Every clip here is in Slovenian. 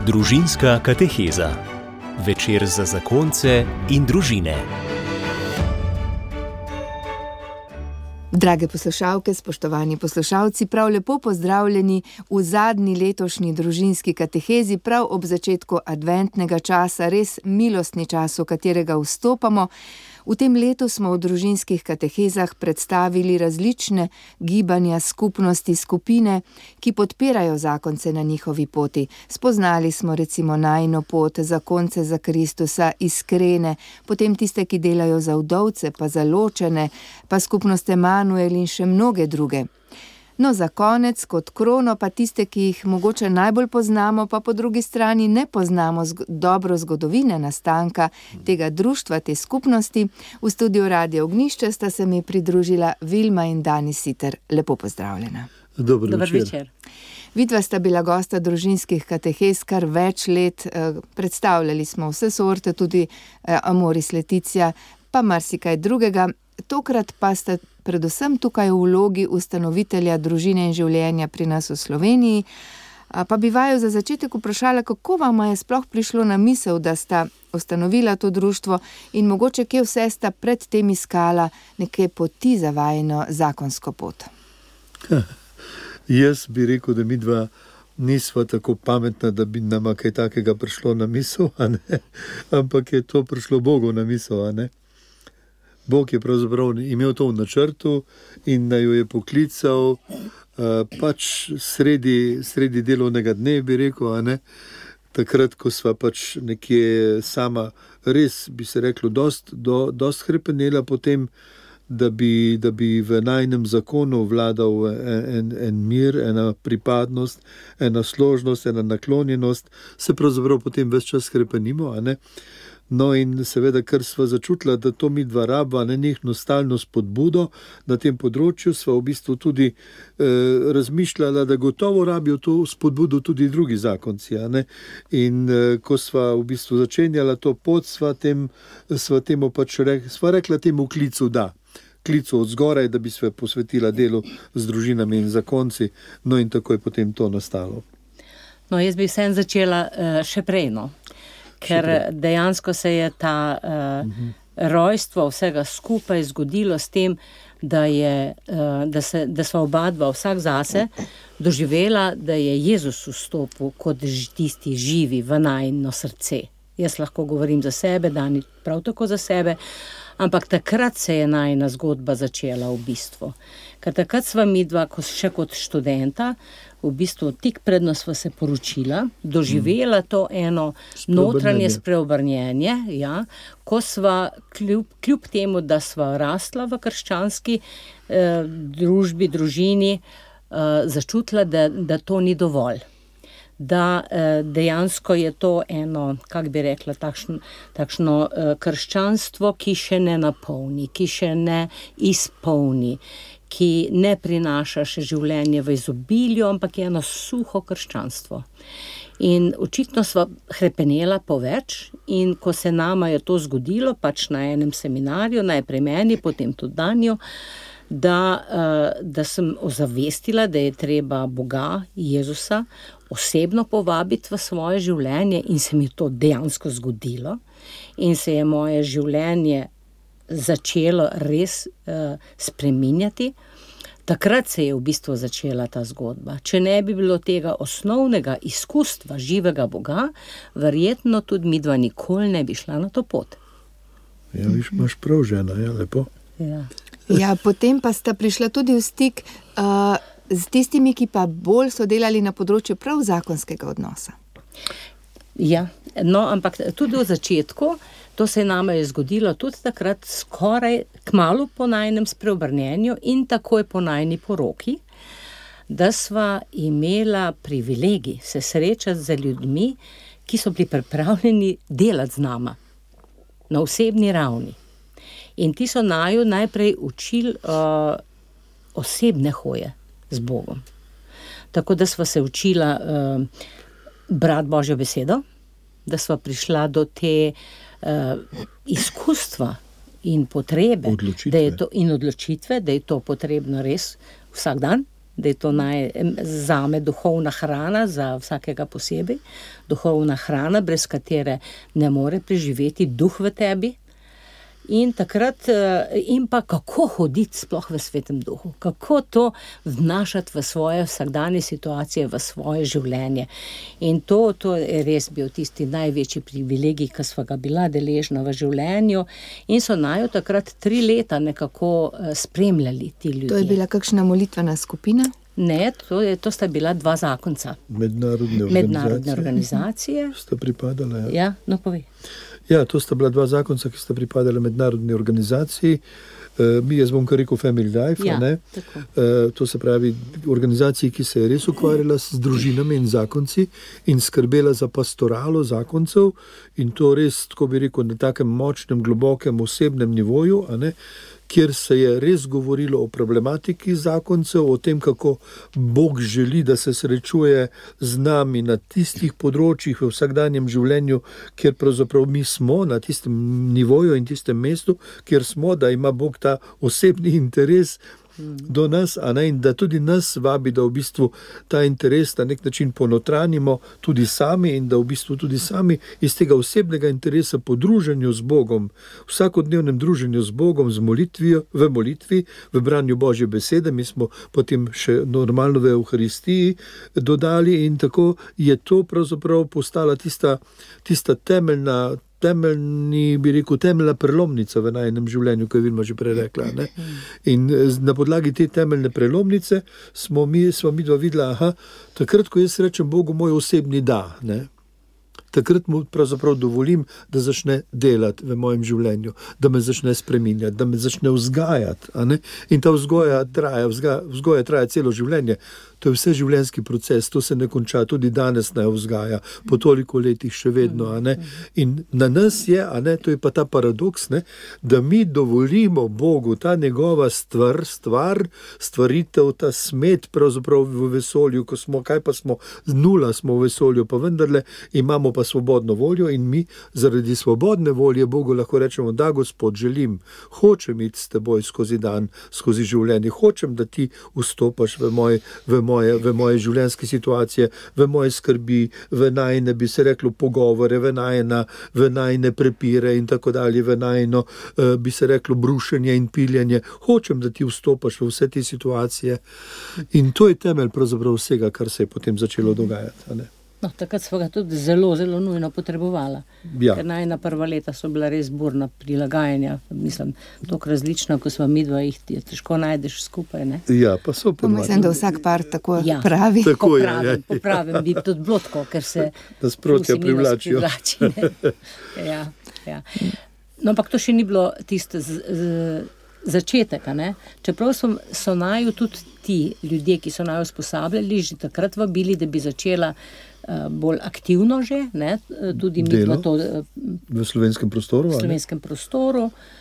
Družinska kateheza. Večer za zakonce in družine. Drage poslušalke, spoštovani poslušalci, prav lepo pozdravljeni v zadnji letošnji družinski katehezi, prav ob začetku adventnega časa, res milostni čas, v katerega vstopamo. V tem letu smo v družinskih katehezah predstavili različne gibanja, skupnosti, skupine, ki podpirajo zakonce na njihovi poti. Spoznali smo recimo najino pot, zakonce za Kristusa, iskrene, potem tiste, ki delajo za vdovce, pa za ločene, pa skupnost Emanuel in še mnoge druge. No, za konec, kot krono, pa tiste, ki jih mogoče najbolj poznamo, pa po drugi strani ne poznamo dobro zgodovine nastanka tega društva, te skupnosti. V studiu Radio Ognjišče sta se mi pridružila Vilma in Dani Siter. Lepo pozdravljena. Dober večer. Vidva sta bila gosta družinskih katehez kar več let. Predstavljali smo vse sorte, tudi Amoris Laetitia, pa marsikaj drugega. Tokrat pa sta predvsem tukaj v vlogi ustanovitelja družine in življenja pri nas v Sloveniji. Pa bi vaju za začetek vprašala, kako vam je sploh prišlo na misel, da sta ustanovila to društvo in mogoče kje vse sta pred tem iskala neke poti za vajino zakonsko pot? Jaz bi rekel, da midva nisva tako pametna, da bi nama kaj takega prišlo na misel, ampak je to prišlo Bogu na misel, Bog je pravzaprav imel to v načrtu in naj jo je poklical pač sredi delovnega dne, bi rekel, takrat, ko sva pač nekje sama, res bi se reklo, dost hrepenela potem, da bi v najinem zakonu vladal en mir, ena pripadnost, ena složnost, ena naklonjenost, se pravzaprav potem ves čas hrepenimo, No in seveda, ker sva začutila, da to midva raba, nenehno stalno spodbudo na tem področju, sva v bistvu tudi razmišljala, da gotovo rabijo to spodbudo tudi drugi zakonci, In ko sva v bistvu začenjala to pot, sva temu pač rekla temu klicu da. Klicu od zgoraj, da bi se posvetila delu z družinami in zakonci, no in tako je potem to nastalo. No, jaz bi vsem začela še prej, Ker dejansko se je ta rojstvo vsega skupaj zgodilo s tem, da sva oba dva vsak zase doživela, da je Jezus vstopil kot tisti živi v najino srce. Jaz lahko govorim za sebe, Dani prav tako za sebe, ampak takrat se je najina zgodba začela v bistvu. Ker takrat sva midva še kot študenta, v bistvu tik predno sva se poročila, doživela to eno notranje spreobrnjenje, ko sva kljub temu, da sva rastla v krščanski družbi, družini, začutila, da to ni dovolj. Da dejansko je to eno, kako bi rekla, takšno krščanstvo, ki še ne napolni, ki še ne izpolni, ki ne prinaša še življenje v izobilju, ampak je eno suho krščanstvo. In očitno sva hrepenela po več in ko se nama je to zgodilo, pač na enem seminarju, najprej meni, potem tudi Danju, da sem ozavestila, da je treba Boga, Jezusa, osebno povabiti v svoje življenje in se mi to dejansko zgodilo in se je moje življenje začelo res spreminjati. Takrat se je v bistvu začela ta zgodba. Če ne bi bilo tega osnovnega izkustva živega Boga, verjetno tudi midva nikoli ne bi šla na to pot. Ja, viš, imaš prav, žena, lepo. Ja, potem pa sta prišla tudi v stik z tistimi, ki pa bolj so delali na področju prav zakonskega odnosa. Ja, no, ampak tudi v začetku, to se nama je zgodilo tudi takrat skoraj kmalu po najinem spreobrnjenju in takoj po najini poroki, da sva imela privilegij se srečati z ljudmi, ki so bili pripravljeni delati z nama na osebni ravni. In ti so naju najprej učili osebne hoje z Bogom. Tako da sva se učila brati Božjo besedo, da sva prišla do te izkustva in potrebe, odločitve. Da je to potrebno res vsak dan, da je to zame duhovna hrana za vsakega posebej, duhovna hrana, brez katere ne more preživeti duh v tebi. In takrat, in pa kako hoditi sploh v svetem duhu, kako to vnašati v svoje vsakdanje situacije, v svoje življenje. In to je res bil tisti največji privilegij, ki sva ga bila deležna v življenju, in so naju takrat 3 leta nekako spremljali ti ljudje. To je bila kakšna molitvena skupina? Ne, to sta bila 2 zakonca. Mednarodne organizacije. Sta pripadala, ja. No, povej. Ja, to sta bila 2 zakonca, ki sta pripadala mednarodni organizaciji. Jaz bom kar rekel Family Life, ja, ne? To se pravi organizaciji, ki se je res ukvarjala s družinami in zakonci in skrbela za pastoralo zakoncev, in to res, tako bi rekel, na takem močnem, globokem, osebnem nivoju, a ne? Kjer se je res govorilo o problematiki zakoncev, o tem, kako Bog želi, da se srečuje z nami na tistih področjih v vsakdanjem življenju, kjer pravzaprav mi smo na tistem nivoju in tistem mestu, kjer smo, da ima Bog ta osebni interes do nas, a ne, in da tudi nas vabi, da v bistvu ta interes na nek način ponotranimo tudi sami, in da v bistvu tudi sami iz tega osebnega interesa po druženju z Bogom, vsakodnevnem druženju z Bogom, v molitvi, v branju Božje besede, mi smo potem še normalno v Evharistiji dodali, in tako je to pravzaprav postala tista temeljna, bi rekel, temeljna prelomnica v najinem življenju, ko je Vilma že prej rekla. Ne? In na podlagi te temeljne prelomnice smo mi dva videla, takrat, ko jaz rečem Bogu moj osebni da, ne? Takrat mu pravzaprav dovolim, da začne delati v mojem življenju, da me začne spreminjati, da me začne vzgajati. A ne? In ta vzgoja traja celo življenje. To je vse življenjski proces, to se ne konča, tudi danes ne vzgaja, po toliko letih še vedno. A ne? In na nas je, a ne, to je pa ta paradoks, ne, da mi dovolimo Bogu ta njegova stvaritev, ta smet pravzaprav v vesolju, ko smo, kaj pa smo, 0 smo v vesolju, pa vendarle imamo pa svobodno voljo, in mi zaradi svobodne volje Bogu lahko rečemo, da Gospod, želim, hočem iti s teboj skozi dan, skozi življenje, hočem, da ti vstopaš v moje življenjske situacije, v moje skrbi, v najne, bi se reklo, pogovore, v najne prepire in tako dalje, v najno, bi se reklo, brušenje in piljenje. Hočem, da ti vstopaš v vse te situacije, in to je temelj pravzaprav vsega, kar se je potem začelo dogajati. A ne? No, takrat smo ga tudi zelo, zelo nujno potrebovala. Ja. Ker najna prva leta so bila res burna prilagajanja. Mislim, toliko različna, ko smo midva, jih težko najdeš skupaj, ne? Ja, pa so ponovno. Mislim, da vsak par tako pravi. Tako popravim, bi tudi bilo tako, ker se nasprotja privlačijo. Ja. No, ampak to še ni bilo tisto začetek, ne? Čeprav so naju tudi ti ljudje, ki so naju usposabljali, že takrat vabili, da bi začela bolj aktivno že, ne? Tudi delo to v slovenskem prostoru.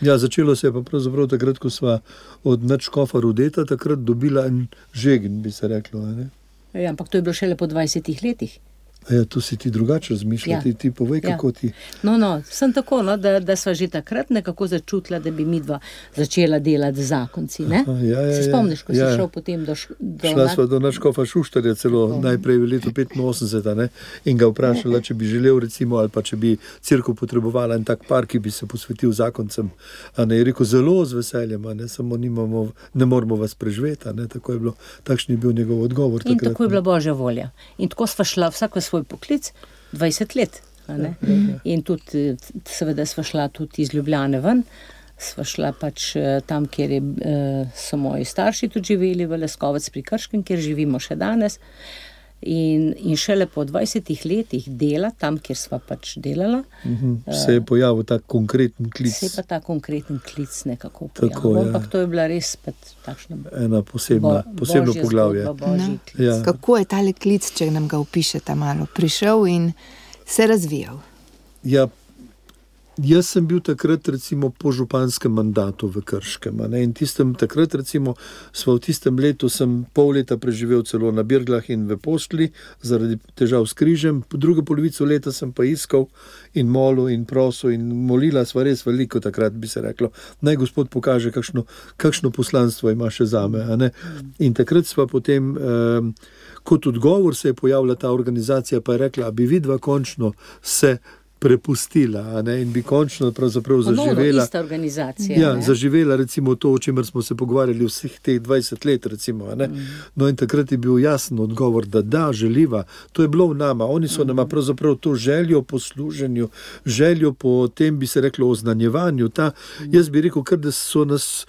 Ja, začelo se je pa pravzaprav takrat, ko sva od nadškofa Rudeta takrat dobila en žegen, bi se reklo. Ne? Ja, ampak to je bilo šele po 20 letih. Ja, tu si ti drugače razmišljala, ja. Ti povej, kako ti... No, sem tako, no, da sva že takrat nekako začutila, da bi midva začela delati z zakonci, ne? Se spomniš, ko si šel potem Šla sva do nadškofa Šuštarja celo najprej v letu 85, ne? In ga vprašala, če bi želel recimo, ali pa če bi cerkev potrebovala en tak par, ki bi se posvetil zakoncem. A ne, je rekel, zelo z veseljem, a ne, samo ne moramo vas preživeti, a ne, tako je bilo, takšen je bil njegov odgovor. In tako je bila Božja volja. In tako sva šla vsak svoj poklic 20 let. In tudi, seveda sva šla tudi iz Ljubljane ven, sva šla pač tam, kjer so moji starši tudi živeli, v Leskovec pri Krškem, kjer živimo še danes. In šele po 20 letih dela, tam, kjer sva pač delala, se je pojavil ta konkreten klic. Se je pa ta konkreten klic nekako pojavil. Ampak to je bila res takšna ena posebno poglavje. Ja. Kako je tale klic, če nam ga opišete malo, prišel in se razvijal? Ja, Jaz sem bil takrat recimo po županskem mandatu v Krškem, a ne, in takrat recimo v tistem letu sem pol leta preživel celo na Birglah in v Postli zaradi težav s križem, po drugo polovico leta sem pa iskal in molil in prosil in molila sva res veliko, takrat bi se reklo, naj Gospod pokaže, kakšno poslanstvo ima še zame, a ne. In takrat sva potem, kot odgovor se je pojavila ta organizacija, pa je rekla, a bi vidva končno se prepustila, a ne, in bi končno pravzaprav zaživela. Ista organizacija. Ja, zaživela recimo to, o čemer smo se pogovarjali vseh teh 20 let, recimo, a ne. No in takrat je bil jasen odgovor, da želiva. To je bilo v nama. Oni so nama pravzaprav to željo po služenju, željo po tem, bi se reklo, oznanjevanju. Jaz bi rekel, kar da so nas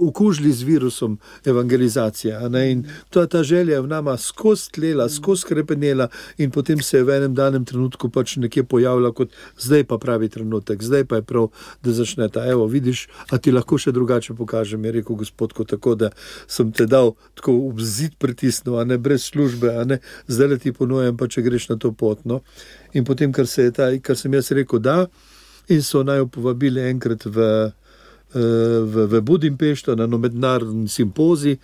okužili z virusom evangelizacije, a ne, in ta želja je v nama skozi tlela, skozi krepenela in potem se je v enem danem trenutku pač nekje pojavila kot, zdaj pa pravi trenutek, zdaj pa je prav, da začne ta, evo, vidiš, a ti lahko še drugače pokažem, je rekel Gospod, tako da sem te dal tako v zid pritisnil, a ne, brez službe, a ne, zdaj le ti ponujam, pa če greš na to pot, no. In potem, kar sem jaz rekel, da, in so naj povabili enkrat v Budimpešto na mednarodni simpozij,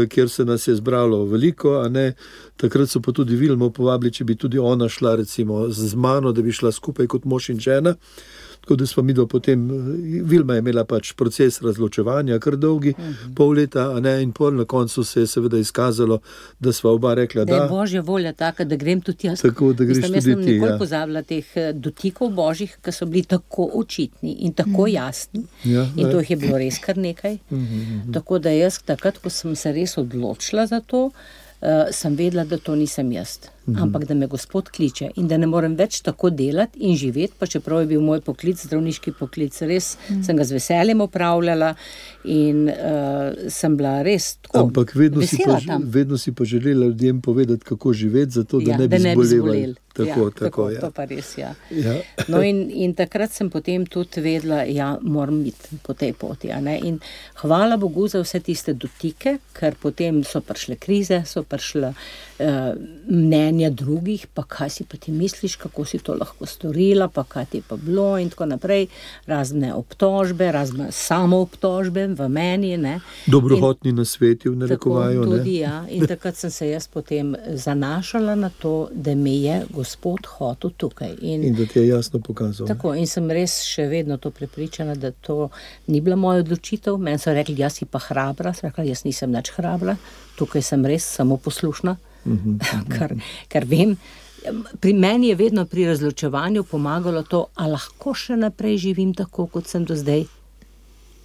kjer se nas je zbralo veliko, a ne. Takrat so pa tudi Vilmo povabili, če bi tudi ona šla recimo z mano, da bi šla skupaj kot mož in žena. Tako da smo midva potem, Vilma je imela pač proces razločevanja, kar dolgi, pol leta, a ne, in pol na koncu se je seveda izkazalo, da sva oba rekla, da je Božja volja taka, da grem tudi jaz. Tako, da greš tudi ti, ja. Jaz sem nikoli pozabila teh dotikov Božjih, ki so bili tako očitni in tako jasni. Ja, in to jih je bilo res kar nekaj. Tako da jaz takrat, ko sem se res odločila za to, sem vedela, da to nisem jaz, ampak da me Gospod kliče in da ne morem več tako delati in živeti, pa čeprav je bil moj poklic, zdravniški poklic, res sem ga z veseljem opravljala in sem bila res tako ampak vedno si pa želela ljudem povedati, kako živeti, zato da ne bi zbolevali. Tako, ja. To pa res, ja. No in takrat sem potem tudi vedela, ja, moram biti po tej poti, a ne, in hvala Bogu za vse tiste dotike, ker potem so prišle krize, so prišle mnenja drugih, pa kaj si pa ti misliš, kako si to lahko storila, pa kaj ti je pa bilo in tako naprej, razne obtožbe, razne samoobtožbe v meni, ne. Dobrohotni nasveti v narekovaju, ne. Tudi, ja, in takrat sem se jaz potem zanašala na to, da me je Gospod hotel tukaj. In da ti je jasno pokazal. Tako, in sem res še vedno to prepričana, da to ni bila moja odločitev. Meni so rekli, jaz si pa hrabra, sem rekla, jaz nisem nič hrabra, tukaj sem res samo poslušna, ker vem, pri meni je vedno pri razločevanju pomagalo to, a lahko še naprej živim tako, kot sem do zdaj,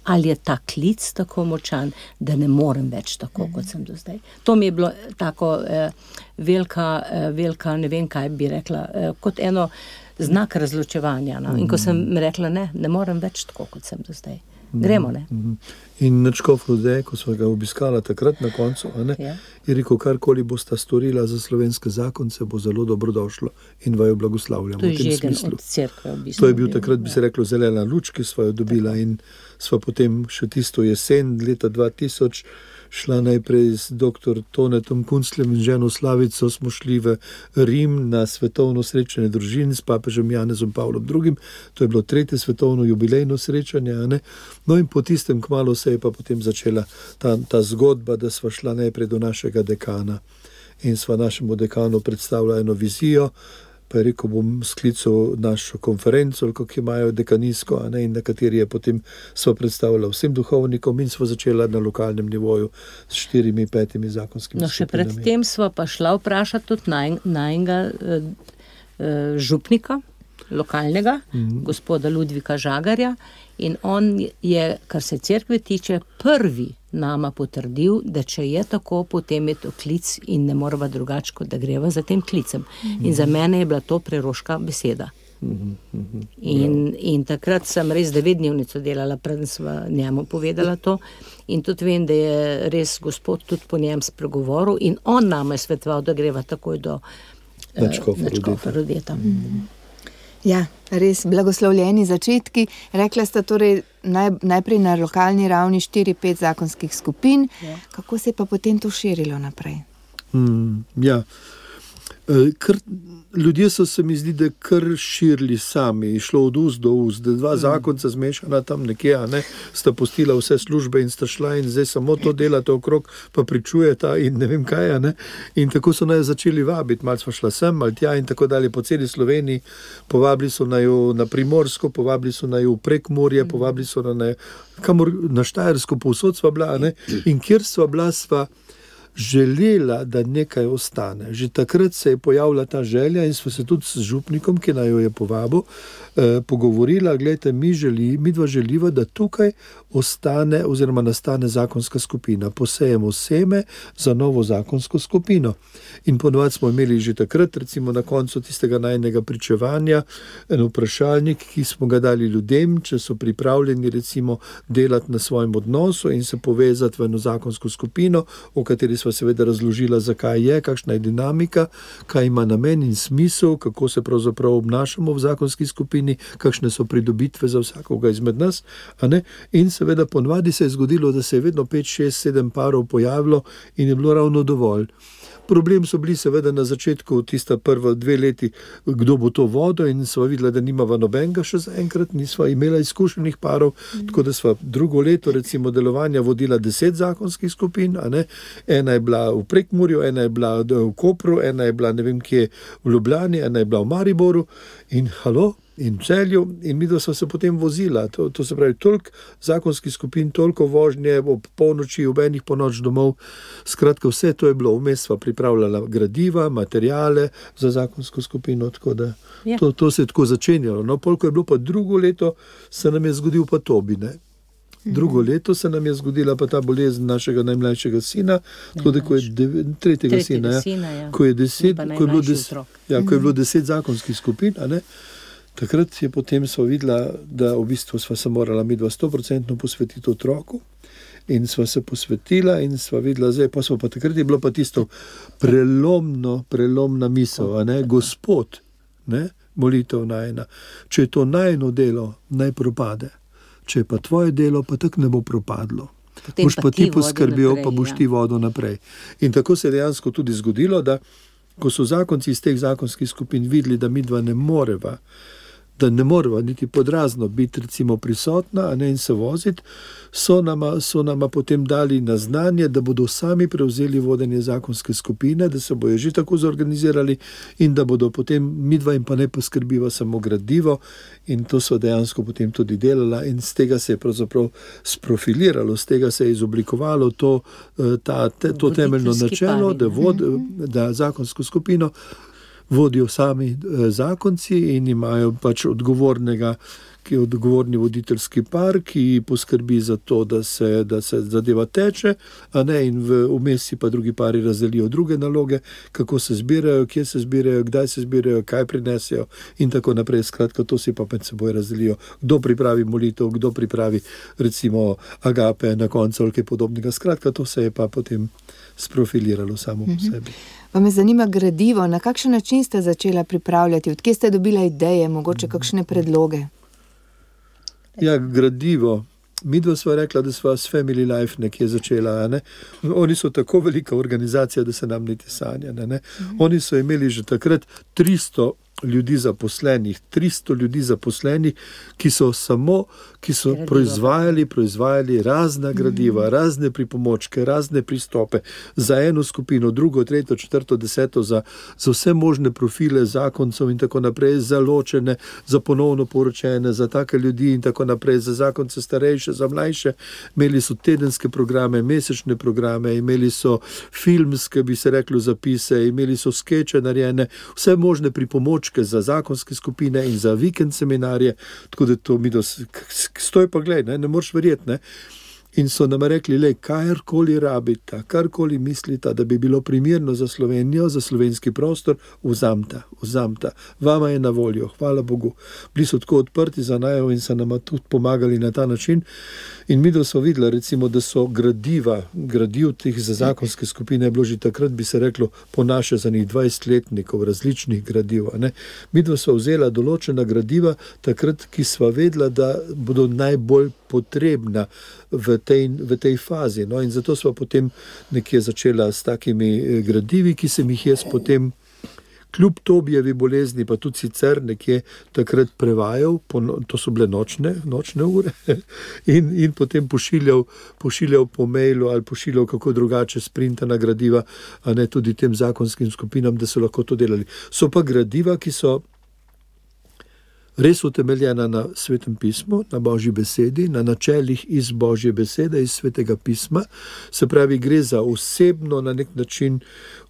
ali je ta klic tako močan, da ne morem več tako, kot sem do zdaj. To mi je bilo tako velika, ne vem, kaj bi rekla, kot eno znak razločevanja. No? In ko sem rekla, ne morem več tako, kot sem do zdaj. Gremo, ne? In Načkov Rode, ko smo ga obiskala takrat na koncu, je rekel, karkoli bosta storila za slovenske zakonce, bo zelo dobrodošlo in vaju blagoslavljamo v tem smislu. Od cerkve v bistvu. To je bil takrat, bi se reklo, zelena luč, ki sva jo dobila in sva potem še tisto jesen leta 2000 šla najprej z dr. Tonetom Kunclem in ženo Slavico, smo šli v Rim na svetovno srečanje družin s papežem Janezom Pavlom II. To je bilo 3. svetovno jubilejno srečanje, a ne? No in po tistem kmalu se je pa potem začela ta zgodba, da sva šla najprej do našega dekana in sva našemu dekanu predstavila eno vizijo, pa je rekel, bom sklical našo konferenco, kako imajo dekanijsko, a ne, in na kateri je potem sva predstavila vsem duhovnikom in sva začela na lokalnem nivoju s 4-5 zakonskimi skupinami. No, še predtem sva pa šla vprašati tudi najnega župnika, lokalnega, gospoda Ludvika Žagarja, in on je, kar se cerkve tiče, prvi nama potrdil, da če je tako, potem je to klic in ne morava drugače, kot da greva za tem klicem. In za mene je bila to preroška beseda. In takrat sem res 9-dnevnico delala, preden sva njemu povedala to, in tudi vem, da je res Gospod tudi po njem spregovoril in on nama je svetoval, da greva takoj do Načkova Rodeta. Ja, res blagoslovljeni začetki. Rekla sta torej najprej na lokalni ravni 4-5 zakonskih skupin. Kako se je pa potem to širilo naprej? Ja, Ljudje so se mi zdi, da kar širili sami, šlo od ust do ust, da dva zakonca zmešana tam nekje, ne, sta postila vse službe in sta šla in zdaj samo to delate okrog, pa pričujeta in ne vem kaj, ne. In tako so naj začeli vabiti, malo smo šla sem, malo tja in tako dalje po celi Sloveniji, povabili so naj na Primorsko, povabili so naj v Prekmurje, povabili so naj kamor na Štajersko, povsod sva bila, ne, in kjer sva bila, sva želela, da nekaj ostane. Že takrat se je pojavila ta želja in smo se tudi s župnikom, ki naj jo je povabil, pogovorila, gledajte, mi dva želiva, da tukaj ostane oziroma nastane zakonska skupina. Posejemo seme za novo zakonsko skupino. In ponovadi smo imeli že takrat, recimo na koncu tistega najnega pričevanja, en vprašalnik, ki smo ga dali ljudem, če so pripravljeni recimo delati na svojem odnosu in se povezati v eno zakonsko skupino, o kateri sva seveda razložila, zakaj je, kakšna je dinamika, kaj ima namen in smisel, kako se pravzaprav obnašamo v zakonski skupini, kakšne so pridobitve za vsakoga izmed nas, a ne? In seveda ponavadi se je zgodilo, da se je vedno 5, 6, 7 parov pojavilo in je bilo ravno dovolj. Problem so bili seveda na začetku, tista prva 2 leti, kdo bo to vodil in sva videla, da nimava nobenega še zaenkrat, nisva imela izkušenih parov, tako da sva drugo leto recimo delovanja vodila 10 zakonskih skupin, a ne? Ena je bila v Prekmurju, ena je bila v Kopru, ena je bila ne vem kje v Ljubljani, ena je bila v Mariboru in in v Celju in midva sva se potem vozila. To se pravi, toliko zakonskih skupin, toliko vožnje ob polnoči, ob enih ponoč domov. Skratka, vse to je bilo. Vmes sva pripravljala gradiva, materijale za zakonsko skupino, tako da to se je tako začenjalo. No, polko je bilo pa drugo leto, se nam je zgodil pa Tobi, ne. Drugo leto se nam je zgodila pa ta bolezen našega najmlajšega sina, tako da ko je tretjega sina, ko je bilo 10 zakonskih skupin, a ne. Takrat je potem sva videla, da v bistvu sva se morala midva 100% posvetiti otroku in sva se posvetila in sva videla, zdaj pa takrat je bilo pa tisto prelomna misel, a ne, Gospod, ne, molitev najina, če je to najino delo, naj propade, če je pa tvoje delo, pa tako ne bo propadlo. Boš pa ti poskrbel, pa boš ti vodil naprej. In tako se je dejansko tudi zgodilo, da ko so zakonci iz teh zakonskih skupin videli, da midva ne moreva niti podrazno biti recimo prisotna, a ne, in se voziti, so nama potem dali na znanje, da bodo sami prevzeli vodenje zakonske skupine, da se bojo že tako zorganizirali in da bodo potem midva in pa ne poskrbiva samo gradivo in to so dejansko potem tudi delala in z tega se je pravzaprav sprofiliralo, z tega se je izoblikovalo to temeljno načelo, da zakonsko skupino vodijo sami zakonci in imajo pač odgovorni voditeljski par, ki poskrbi za to, da se zadeva teče, a ne, in vmes si pa drugi pari razdelijo druge naloge, kako se zbirajo, kje se zbirajo, kdaj se zbirajo, kaj prinesejo in tako naprej. Skratka, to si pa med seboj razdelijo. Kdo pripravi molitev, kdo pripravi recimo agape na koncu ali kaj podobnega. Skratka, to se je pa potem sprofiliralo samo po sebi. Pa me zanima gradivo, na kakšen način ste začela pripravljati, odkje ste dobila ideje, mogoče kakšne predloge? Ja, gradivo. Midva sva rekla, da sva s Family Life nekje začela, ne. Oni so tako velika organizacija, da se nam niti sanja, ne. Oni so imeli že takrat 300 ljudi zaposlenih, ki so proizvajali razna gradiva, razne pripomočke, razne pristope za eno skupino, drugo, tretjo, četrto, deseto, za vse možne profile zakoncev in tako naprej, za ločene, za ponovno poročene, za take ljudi in tako naprej, za zakonce starejše, za mlajše. Imeli so tedenske programe, mesečne programe, imeli so filmske, bi se reklo, zapise, imeli so skeče narejene, vse možne pripomočke za zakonske skupine in za vikend seminarje, tako da to mi stoj pa gled, ne moreš verjeti, ne. In so nam rekli, karkoli rabita, karkoli mislita, da bi bilo primerno za Slovenijo, za slovenski prostor, vzamta. Vama je na voljo, hvala Bogu. Bili so tako odprti za najo in so nama tudi pomagali na ta način. In mi smo videli, recimo, da so gradiv teh za zakonske skupine je bilo že takrat, bi se reklo, po naše za njih 20-letnikov različnih gradiv. Mi smo vzela določena gradiva takrat, ki sva vedela, da bodo najbolj potrebna v tej fazi. No, in zato sva potem nekje začela s takimi gradivi, ki sem jih jaz potem kljub Tobijevi bolezni, pa tudi sicer nekje takrat prevajal, to so bile nočne ure, in potem pošiljal po mailu ali pošiljal kako drugače sprintana gradiva, a ne tudi tem zakonskim skupinam, da so lahko to delali. So pa gradiva, ki so res utemeljena na Svetem pismu, na Božji besedi, na načelih iz Božje besede, iz Svetega pisma. Se pravi, gre za osebno na nek način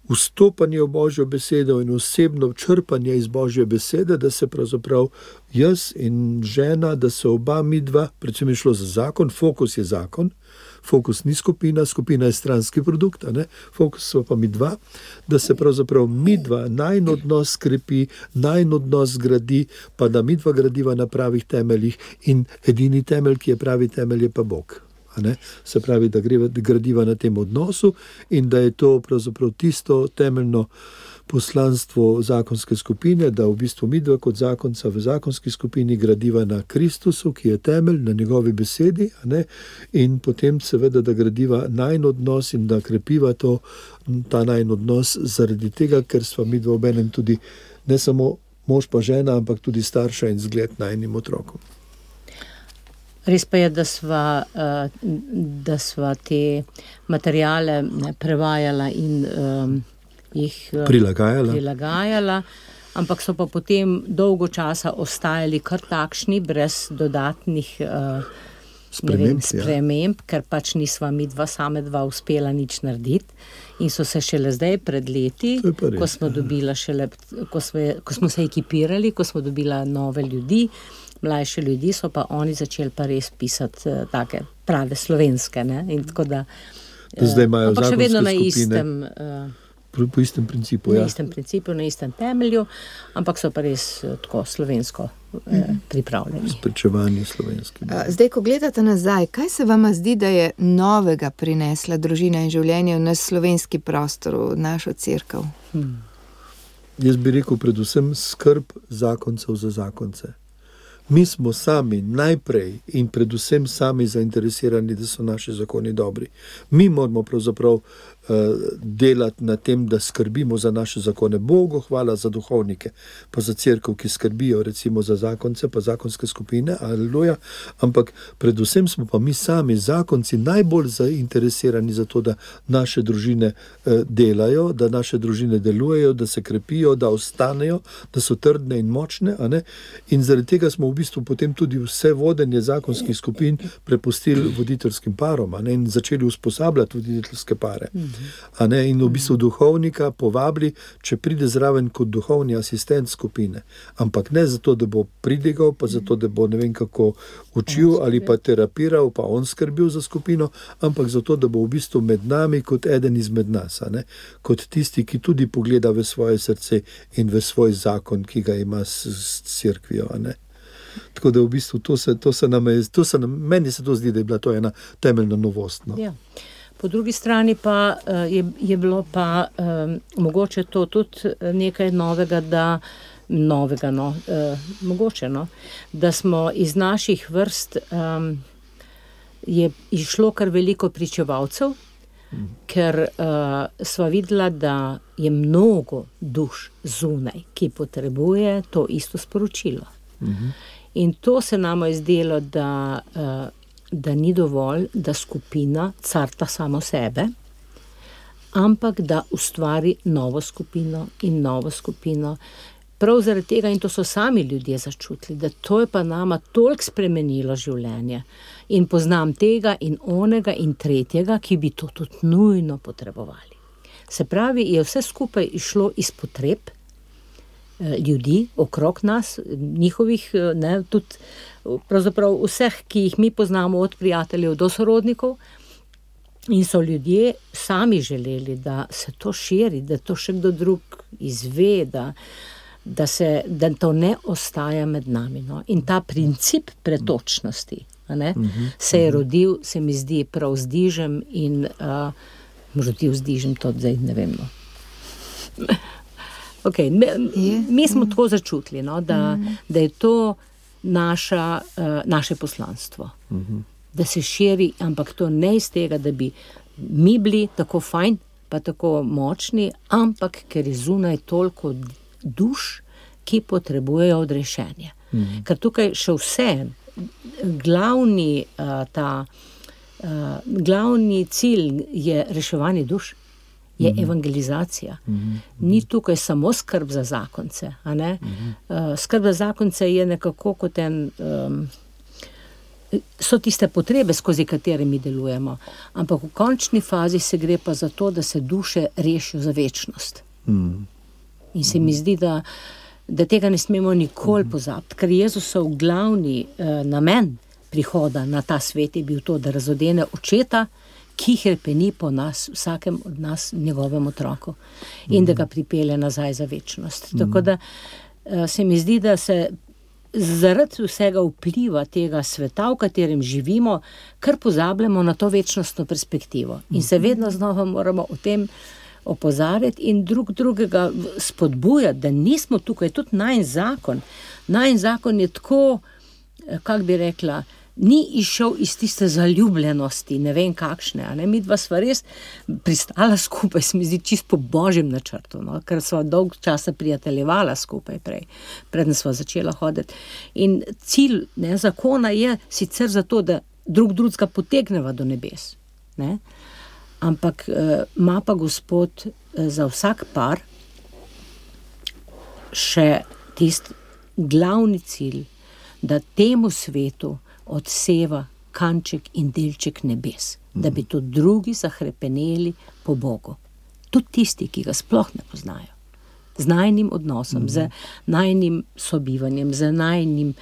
vstopanje v Božjo besedo in osebno črpanje iz Božje besede, da se pravzaprav jaz in žena, da se oba midva, predvsem je šlo za zakon, fokus je zakon, fokus ni skupina, skupina je stranski produkt, a ne? Fokus so pa midva, da se pravzaprav midva najin odnos skrepi, najin odnos zgradi, pa da midva gradiva na pravih temeljih in edini temelj, ki je pravi temelj, je pa Bog. Ne? Se pravi, da gradiva na tem odnosu in da je to pravzaprav tisto temeljno poslanstvo zakonske skupine, da v bistvu midva kot zakonca v zakonski skupini gradiva na Kristusu, ki je temelj, na njegovi besedi, ne? In potem seveda, da gradiva najin odnos in da krepiva ta najin odnos zaradi tega, ker sva midva obenem tudi ne samo mož pa žena, ampak tudi starša in zgled najinim otrokom. Res pa je, da sva te materijale prevajala in jih prilagajala, ampak so pa potem dolgo časa ostajali kar takšni, brez dodatnih sprememb, ker pač nisva midva same dva uspela nič narediti in so se šele zdaj pred leti, ko smo dobila ko smo se ekipirali, ko smo dobila nove ljudi, mlajše ljudi, so pa oni začeli pa res pisati take prave slovenske, ne? In tako da zdaj imajo ampak še vedno na skupine, po istem principu, na istem principu, na istem temelju, ampak so pa res tako slovensko pripravljeni. Sprečevanje slovenski. Zdaj, ko gledate nazaj, kaj se vama zdi, da je novega prinesla družina in življenje v naš slovenski prostor, v našo cerkev? Jaz bi rekel predvsem skrb zakoncev za zakonce. Mi smo sami najprej in predvsem sami zainteresirani, da so naši zakoni dobri. Mi moramo pravzaprav delati na tem, da skrbimo za naše zakone. Bogu hvala za duhovnike, pa za cerkev, ki skrbijo recimo za zakonce, pa zakonske skupine, aleluja, ampak predvsem smo pa mi sami zakonci najbolj zainteresirani za to, da naše družine delajo, da naše družine delujejo, da se krepijo, da ostanejo, da so trdne in močne, a ne? In zaradi tega smo v bistvu potem tudi vse vodenje zakonskih skupin prepustili voditeljskim parom, a ne? In začeli usposabljati voditeljske pare. A ne? In v bistvu duhovnika povabili, če pride zraven kot duhovni asistent skupine, ampak ne zato, da bo pridigal, pa zato, da bo ne vem kako učil ali pa terapiral, pa on skrbel za skupino, ampak zato, da bo v bistvu med nami kot eden izmed nas, a ne? Kot tisti, ki tudi pogleda v svoje srce in v svoj zakon, ki ga ima s cerkvijo, a ne? Tako da v bistvu meni se to zdi, da je bila to ena temeljna novost. No? Ja. Po drugi strani pa je bilo pa mogoče to tudi nekaj novega, da smo iz naših vrst je išlo kar veliko pričevalcev, ker sva videla, da je mnogo duš zunaj, ki potrebuje to isto sporočilo. In to se nama je zdelo, da ni dovolj, da skupina carta samo sebe, ampak da ustvari novo skupino in novo skupino. Prav zaradi tega, in to so sami ljudje začutili, da to je pa nama toliko spremenilo življenje. In poznam tega in onega in tretjega, ki bi to tudi nujno potrebovali. Se pravi, je vse skupaj išlo iz potreb ljudi okrog nas, njihovih, ne, tudi pravzaprav vseh, ki jih mi poznamo, od prijateljev do sorodnikov, in so ljudje sami želeli, da se to širi, da to še kdo drug izve, da to ne ostaja med nami. No? In ta princip pretočnosti, ne, se je rodil, se mi zdi, prav z Dižem in rodil z Dižem, to zdaj ne vem. No. Okay, mi smo tako začutili, no, da je to naše poslanstvo. Da se širi, ampak to ne iz tega, da bi mi bili tako fajn, pa tako močni, ampak ker je zunaj toliko duš, ki potrebujejo odrešenje. Ker tukaj še vse, glavni cilj je reševanje duš, je evangelizacija. Ni tukaj samo skrb za zakonce, a ne? Skrb za zakonce je nekako kot so tiste potrebe, skozi katere mi delujemo, ampak v končni fazi se gre pa za to, da se duše rešijo za večnost. In se mi zdi, da tega ne smemo nikoli pozabiti, ker Jezusov glavni namen prihoda na ta svet je bil to, da razodene očeta, ki hrepeni po nas, vsakem od nas, njegovem otroku, in da ga pripelje nazaj za večnost. Tako da se mi zdi, da se zaradi vsega vpliva tega sveta, v katerem živimo, kar pozabljamo na to večnostno perspektivo. In se vedno znova moramo o tem opozarjati in drugega spodbujati, da nismo tukaj, tudi najin zakon je tako, kako bi rekla, ni išel iz tiste zaljubljenosti, ne vem kakšne, a ne, mi dva sva res pristala skupaj, se mi zdi čisto po božjem načrtu, no? Ker sva dolg časa prijateljevala skupaj preden sva začela hoditi. In cilj zakona je sicer zato, da drugega potegneva do nebes, ne? Ampak ima pa Gospod za vsak par še tisti glavni cilj, da temu svetu odseva kanček in delček nebes, da bi to drugi zahrepeneli po Bogu. Tudi tisti, ki ga sploh ne poznajo. Z najnim odnosom, z najnim sobivanjem, z najnim,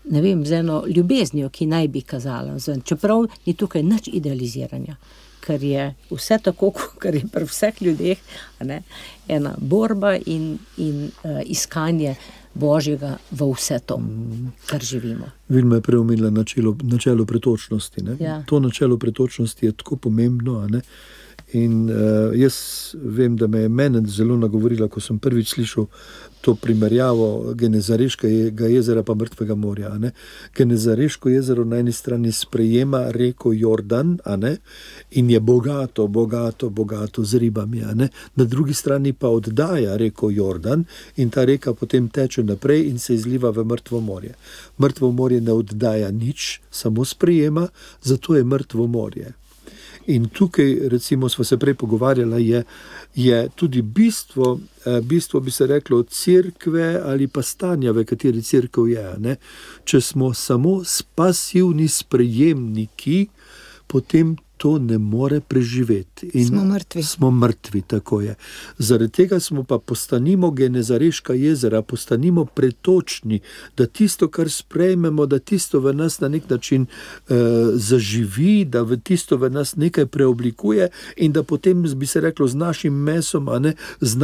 ne vem, z eno ljubeznijo, ki naj bi kazala. Čeprav ni tukaj nič idealiziranja, ker je vse tako, kar je pri vseh ljudeh, ne, ena borba in iskanje Božjega v vse to, kar živimo. Vilma je preomenila načelo pretočnosti. Ne? Ja. To načelo pretočnosti je tako pomembno, a ne? In jaz vem, da me je mene zelo nagovorila, ko sem prvič slišal to primerjavo Genezareškega jezera pa Mrtvega morja. A ne? Genezareško jezero na eni strani sprejema reko Jordan, a ne? In je bogato z ribami. A ne? Na drugi strani pa oddaja reko Jordan in ta reka potem teče naprej in se izliva v Mrtvo morje. Mrtvo morje ne oddaja nič, samo sprejema, zato je Mrtvo morje. In tukaj, recimo, smo se prej pogovarjali, je tudi bistvo bi se reklo cerkve ali pa stanja, v kateri cerkev je. Ne? Če smo samo pasivni sprejemniki, potem to ne more preživeti. In smo mrtvi, tako je. Zaradi tega smo pa postanimo Genezareška jezera, postanimo pretočni, da tisto, kar sprejmemo, da tisto v nas na nek način zaživi, da tisto v nas nekaj preoblikuje in da potem, bi se reklo, z našim mesom, a ne, z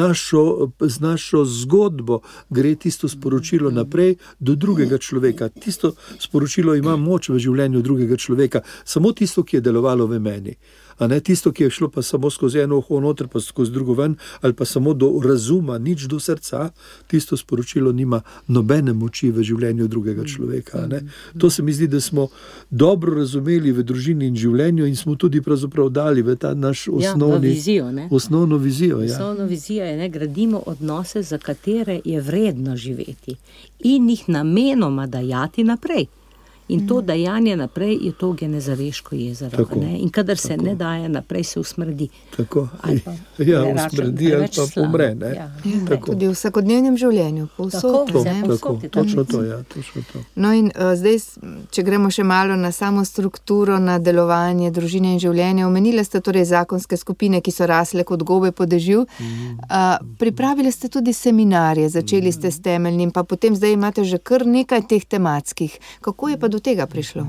našo zgodbo gre tisto sporočilo naprej do drugega človeka. Tisto sporočilo ima moč v življenju drugega človeka. Samo tisto, ki je delovalo v meni. A ne tisto, ki je šlo pa samo skozi eno uho noter, pa skozi drugo ven, ali pa samo do razuma, nič do srca, tisto sporočilo nima nobene moči v življenju drugega človeka. A ne? To se mi zdi, da smo dobro razumeli v družini in življenju in smo tudi pravzaprav dali v ta naš osnovno vizijo. Osnovno vizijo je, gradimo odnose, za katere je vredno živeti in jih namenoma dajati naprej. In to dajanje naprej je to Genezareško jezero. Ne? In kadar se ne daje naprej, se usmrdi. Tako. Usmrdi ali pa umre. Ne? Ja. Tudi v vsakodnevnem življenju. Točno to. No in zdaj, če gremo še malo na samo strukturo, na delovanje družine in življenja, omenili ste torej zakonske skupine, ki so rasle kot gobe po dežju. Pripravili ste tudi seminarje, začeli ste s temeljnim, pa potem zdaj imate že kar nekaj teh tematskih. Kako je pa do tega prišlo?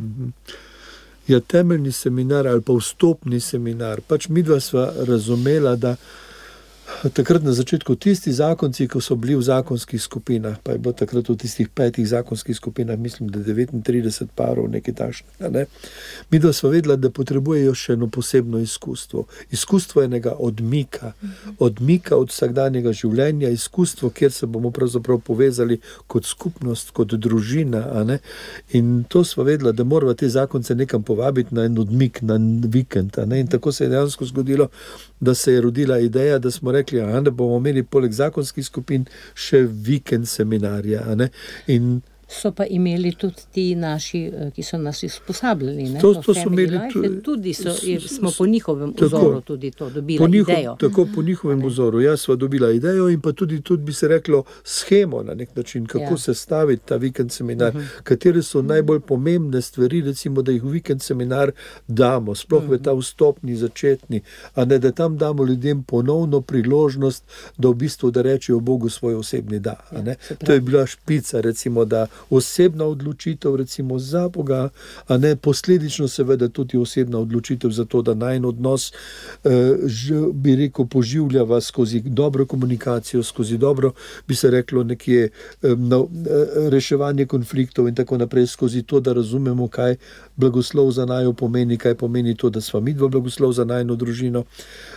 Ja, temeljni seminar ali pa vstopni seminar. Pač midva sva razumela, da takrat na začetku tisti zakonci, ko so bili v zakonskih skupinah, pa je bilo takrat v tistih 5 zakonskih skupinah, mislim, da 39 parov, nekaj takšnega, ne? Midva sva vedela, da potrebujejo še eno posebno izkustvo. Izkustvo enega odmika od vsakdanjega življenja, izkustvo, kjer se bomo pravzaprav povezali kot skupnost, kot družina, a ne? In to sva vedela, da morava te zakonce nekam povabiti na en odmik, na vikend, a ne? In tako se je dejansko zgodilo, da se je rodila ideja, da smo rekli, da bomo imeli poleg zakonskih skupin še vikend seminarja. A ne? In so pa imeli tudi ti naši, ki so nas usposabljali. To so imeli tudi, smo po njihovem vzoru tudi to dobili idejo. Tako po njihovem vzoru. Jaz sva dobila idejo in pa tudi bi se reklo schemo na nek način, kako se staviti ta vikend seminar, katere so najbolj pomembne stvari, recimo, da jih v vikend seminar damo, sploh v ta vstopni, začetni, a ne da tam damo ljudem ponovno priložnost, da v bistvu da rečejo Bogu svoj osebni da. A ne? To je bila špica, recimo, da osebna odločitev recimo za Boga, a ne posledično seveda tudi osebna odločitev za to, da najin odnos bi rekel poživljava skozi dobro komunikacijo, skozi dobro, bi se reklo nekje reševanje konfliktov in tako naprej, skozi to, da razumemo, kaj blagoslov za naju pomeni, kaj pomeni to, da sva midva blagoslov za najino družino,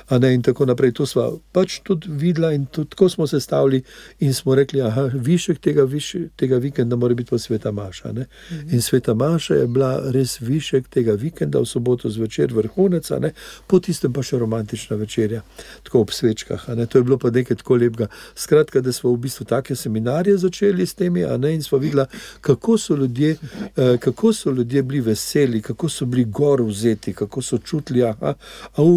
a ne, in tako naprej. To sva pač tudi videla in tudi tako smo se stavili in smo rekli, višek tega vikenda mora biti pa sveta maša. Ne? In sveta maša je bila res višek tega vikenda, v soboto zvečer vrhunec, ne? Po tistem pa še romantična večerja, tako ob svečkah. Ne? To je bilo pa nekaj tako lepega. Skratka, da smo v bistvu take seminarje začeli s temi, a ne, in smo videla, kako so ljudje bili veseli, kako so bili gor vzeti, kako so čutili,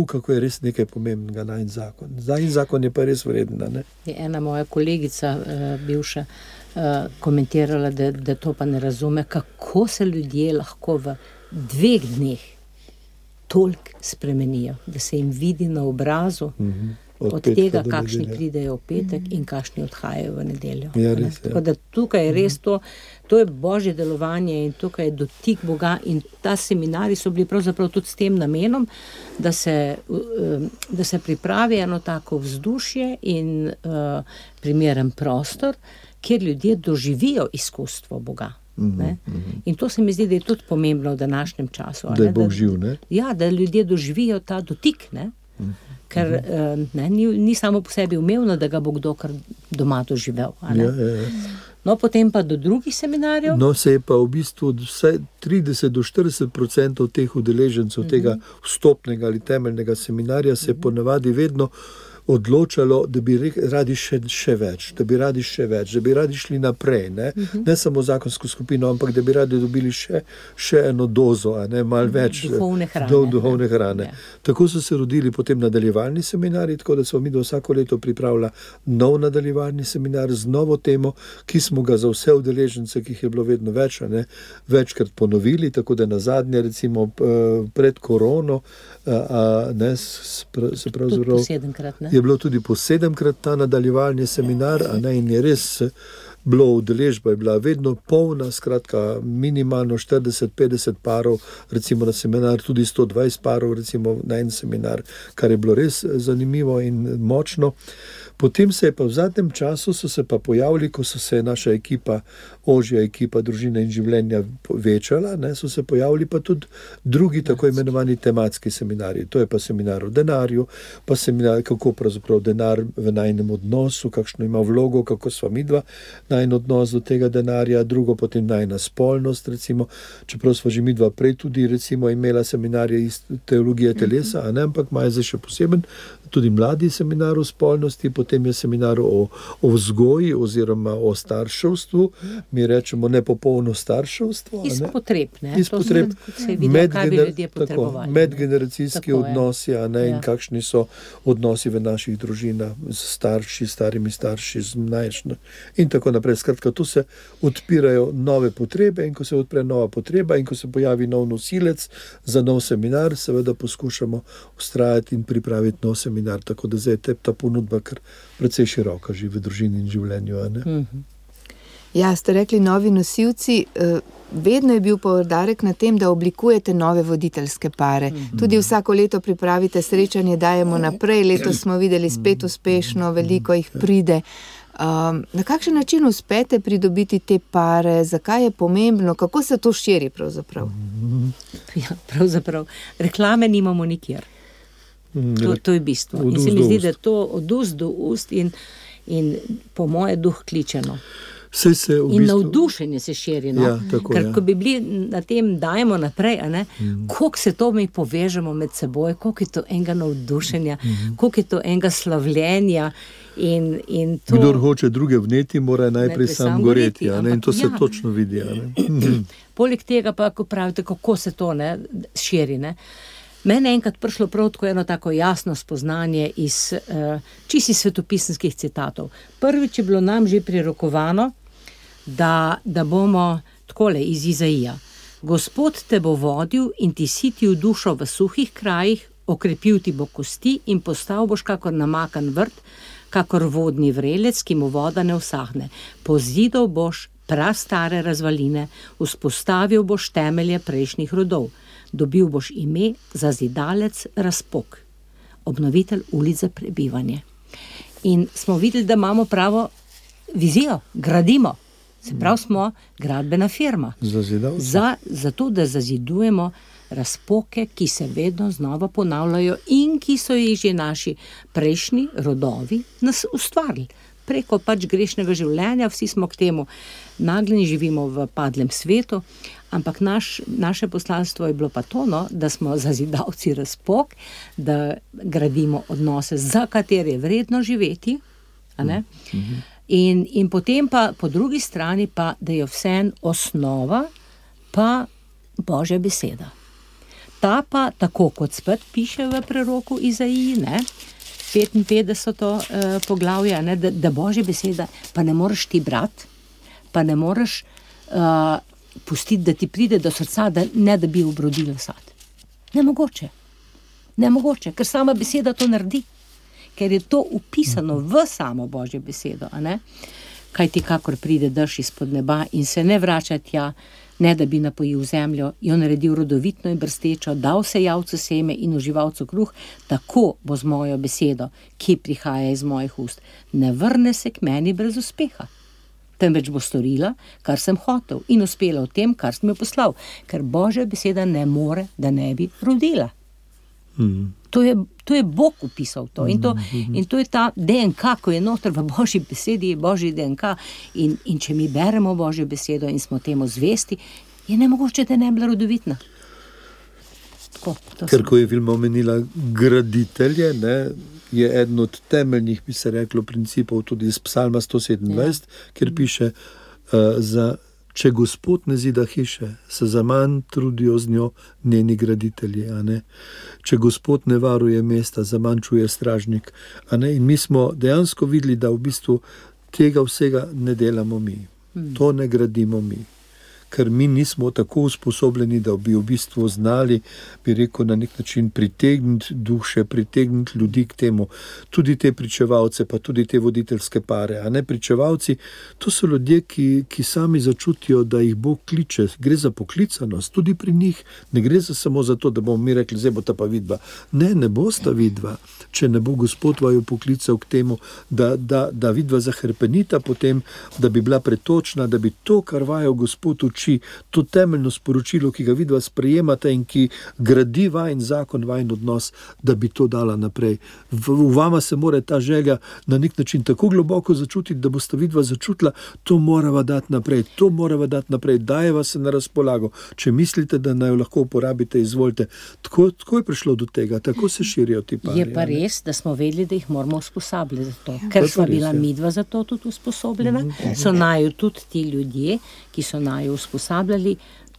kako je res nekaj pomembnega najin zakon. Najin zakon je pa res vreden. Ne? Je ena moja kolegica, bivša, komentirala, da to pa ne razume, kako se ljudje lahko v 2 dneh toliko spremenijo, da se jim vidi na obrazu, od tega, kakšni pridejo v petek in kakšni odhajajo v nedeljo. Ja, res, tako da tukaj je res to je božje delovanje in tukaj je dotik Boga in ta seminari so bili pravzaprav tudi s tem namenom, da se pripravi eno tako vzdušje in primeren prostor, kjer ljudje doživijo izkustvo Boga. In to se mi zdi, da je tudi pomembno v današnjem času. Da je Bog živ, ne? Ja, da ljudje doživijo ta dotik, ne? Ker ni samo po sebi umevno, da ga bo kdo kar doma doživel. Ja. No, potem pa do drugih seminarjev? No, se je pa v bistvu vsaj 30 do 40% teh udeležencev tega vstopnega ali temeljnega seminarja se je ponavadi vedno odločalo, da bi radi še več, da bi radi šli naprej, ne samo zakonsko skupino, ampak da bi radi dobili še eno dozo, malo več duhovne hrane. Ja. Tako so se rodili potem nadaljevalni seminari, tako da smo mi vsako leto pripravila nov nadaljevalni seminar z novo temo, ki smo ga za vse udeležence, ki jih je bilo vedno več, večkrat ponovili, tako da nazadnje recimo pred korono, se pravzaprav 7-krat, ne? Je bilo tudi po 7-krat ta nadaljevalni seminar, in je res bilo udeležba, je bila vedno polna, skratka minimalno 40-50 parov, recimo na seminar, tudi 120 parov recimo na en seminar, kar je bilo res zanimivo in močno. Potem se je pa v zadnjem času so se pa pojavili, ko so se naša ekipa, ožja ekipa družine in življenja večala, so se pojavili pa tudi drugi tako imenovani tematski seminarji. To je pa seminar o denarju, pa seminar, kako pravzaprav denar v najinem odnosu, kakšno ima vlogo, kako sva midva najin odnos do tega denarja, drugo potem najina spolnost, recimo, čeprav sva že midva prej tudi recimo imela seminarje iz teologije telesa, ampak imajo zdaj še poseben tudi mladi seminar o spolnosti, potem je seminar o vzgoji oziroma o starševstvu, mi rečemo nepopolno starševstvo. Iz potreb, ne? Iz potreb, se vidijo, kaj bi ljudje potrebovali. Medgeneracijski odnosi, in kakšni so odnosi v naših družinah z starši, starimi starši, z mlajšimi in tako naprej. Skratka, tu se odpirajo nove potrebe in ko se odpre nova potreba in ko se pojavi nov nosilec za nov seminar, seveda poskušamo vztrajati in pripraviti nov seminar. Tako da zdaj je ta ponudba kar precej široka že v družini in življenju. Ja, ste rekli novi nosilci, vedno je bil poudarek na tem, da oblikujete nove voditeljske pare. Tudi vsako leto pripravite srečanje, dajemo naprej, letos smo videli spet uspešno, veliko jih pride. Na kakšen način uspete pridobiti te pare, zakaj je pomembno, kako se to širi pravzaprav? Ja, pravzaprav, reklame nimamo nikjer. To je bistvo. In se mi zdi, da to od ust do ust in po moje duh kličeno. Vse se v In bistvu... navdušenje se širi, no? Ja, tako, Ker ja. ko bi bili na tem, dajemo naprej, a ne? Koliko se to mi povežemo med seboj, koliko je to enega navdušenja, koliko je to enega slavljenja in to... Kdor hoče druge vneti, mora najprej sam goreti, a ne? In to se ja. točno vidi, a ne? Poleg tega pa, ko pravite, kako se to ne, širi, ne? Mene enkrat prišlo prav tako eno tako jasno spoznanje iz čisto svetopisanskih citatov. Prvič je bilo nam že prirokovano, da bomo takole iz Izaija. Gospod te bo vodil in ti sitil dušo v suhih krajih, okrepil ti bo kosti in postal boš kakor namakan vrt, kakor vodni vrelec, ki mu voda ne usahne. Pozidal boš prastare razvaline, vzpostavil boš temelje prejšnjih rodov. Dobil boš ime Zazidalec Razpok, obnovitelj ulic za prebivanje. In smo videli, da imamo pravo vizijo, gradimo. Se pravi, smo gradbena firma. Zato, da zazidujemo razpoke, ki se vedno znova ponavljajo in ki so jih že naši prejšnji rodovi nas ustvarili. Preko pač grešnega življenja, vsi smo k temu nagnjeni, živimo v padlem svetu, ampak naše poslanstvo je bilo pa to, no, da smo zazidavci razpok, da gradimo odnose, za katere je vredno živeti, a ne? In potem pa po drugi strani pa, da je vseeno osnova pa Božja beseda. Ta pa, tako kot spet piše v preroku Izaiji, ne, 55. Poglavje, ne, da Božja beseda pa ne moreš ti brati, pa ne moreš pustiti, da ti pride do srca, da bi obrodila sad. Nemogoče, ker sama beseda to naredi, ker je to upisano v samo Božjo besedo, a ne? Kaj ti kakor pride dež izpod neba in se ne vrača tja, ne da bi napojil zemljo, jo naredil rodovitno in brstečo, dal sejavcu seme in uživalcu kruh, tako bo z mojo besedo, ki prihaja iz mojih ust. Ne vrne se k meni brez uspeha, temveč bo storila, kar sem hotel in uspela v tem, kar sem jo poslal, ker Božja beseda ne more, da ne bi rodila. To je Bog upisal to. In to je ta DNK, ko je noter v Božji besedi, je Božji DNK. In če mi beremo Božjo besedo in smo temu zvesti, je nemogoče, da ne bi bila rodovitna. Tako, ker ko je Vilma omenila graditelje, ne, je eden od temeljnih, bi se reklo, principov tudi iz Psalma 127, kjer piše če Gospod ne zida hiše, se zaman trudijo z njo njeni graditelji, a ne? Če Gospod ne varuje mesta, zaman čuje stražnik, a ne? In mi smo dejansko videli, da v bistvu tega vsega ne delamo mi. To ne gradimo mi. Ker mi nismo tako usposobljeni, da bi v bistvu znali, bi rekel, na nek način pritegniti duše, pritegniti ljudi k temu. Tudi te pričevalce, pa tudi te voditeljske pare. A ne, pričevalci, to so ljudje, ki sami začutijo, da jih Bog kliče. Gre za poklicanost, tudi pri njih. Ne gre samo za to, da bomo mi rekli, zdaj bo ta pa vidva. Ne bosta vidva. Če ne bo Gospod vaju poklical k temu, da vidva zahrpenita potem, da bi bila pretočna, da bi to, kar vajo Gospod uči, to temeljno sporočilo, ki ga vidva sprejemata in ki gradi vajin zakon, vajin odnos, da bi to dala naprej. V vama se mora ta želja na nek način tako globoko začutiti, da boste vidva začutila, to morava dati naprej, dajeva se na razpolago. Če mislite, da naj jo lahko uporabite, izvolite. Tako je prišlo do tega, tako se širijo ti pari. Je pa res, da smo vedeli, da jih moramo usposabljati za to. Ker sva bila midva za to tudi usposobljena, so naju tudi ti ljudje, ki so naju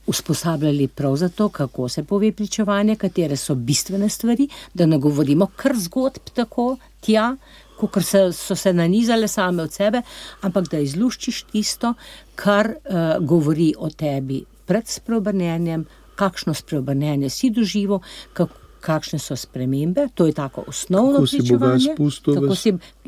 usposabljali prav za to, kako se pove pričevanje, katere so bistvene stvari, da ne govorimo kar zgodb tako tja, kakor so se nanizale same od sebe, ampak da izluščiš tisto, kar govori o tebi pred spreobrnenjem, kakšno spreobrnenje si doživel, kakšne so spremembe, to je tako osnovno pričevanje.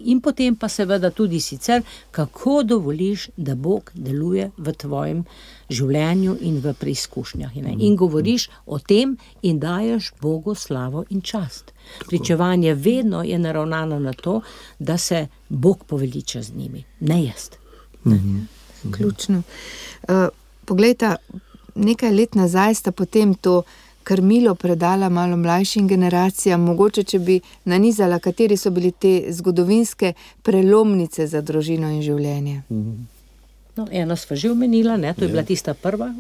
In potem pa seveda tudi sicer, kako dovoliš, da Bog deluje v tvojem življenju in v preizkušnjah. In govoriš o tem in daješ Bogu slavo in čast. Pričevanje vedno je naravnano na to, da se Bog poveliča z njimi, ne jaz. Ključno. Poglejta, nekaj let nazaj sta potem to krmilo predala malo mlajšim generacijam, mogoče, če bi nanizala, kateri so bili te zgodovinske prelomnice za družino in življenje. No, eno sva že omenila, ne? To je bila tista prva,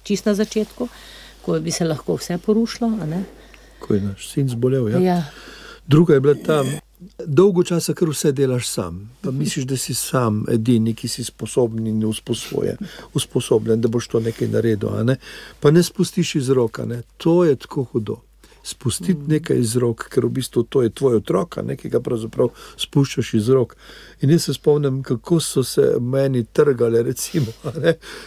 čist na začetku, ko bi se lahko vse porušilo, a ne? Ko je naš sin zbolel, ja. Ja. Druga je bila tam, dolgo časa, ker vse delaš sam. Pa misliš, da si sam edini, ki si sposoben in usposobljen, da boš to nekaj naredil, a ne? Pa ne spustiš iz roka, ne? To je tako hudo. Spustiti nekaj iz rok, ker v bistvu to je tvoj otrok, ki ga pravzaprav spuščaš iz rok. In jaz se spomnim, kako so se meni trgale, recimo,